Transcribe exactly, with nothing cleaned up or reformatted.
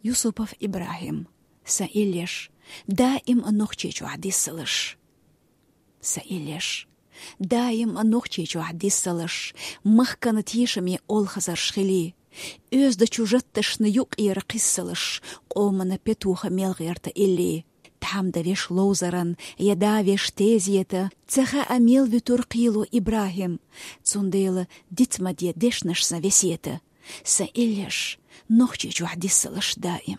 Юсупов Ибрахим. Сан эллеш, даим Нохчийчохь диссалаш. Сан эллеш, даим Нохчийчохь диссалаш, махкана тешаме олхазарш хилий, оьздачу жатташна юкъера кхиссалаш, къомана петуха мел гӀерта илли. Тхьамда веш ловзаран я да веш тезета, ца хаьа мел вуьтур кхело Ибрахим, цундела диц ма де дешнаш сан весета. Сан эллеш, Нохчийчохь диссалаш даим.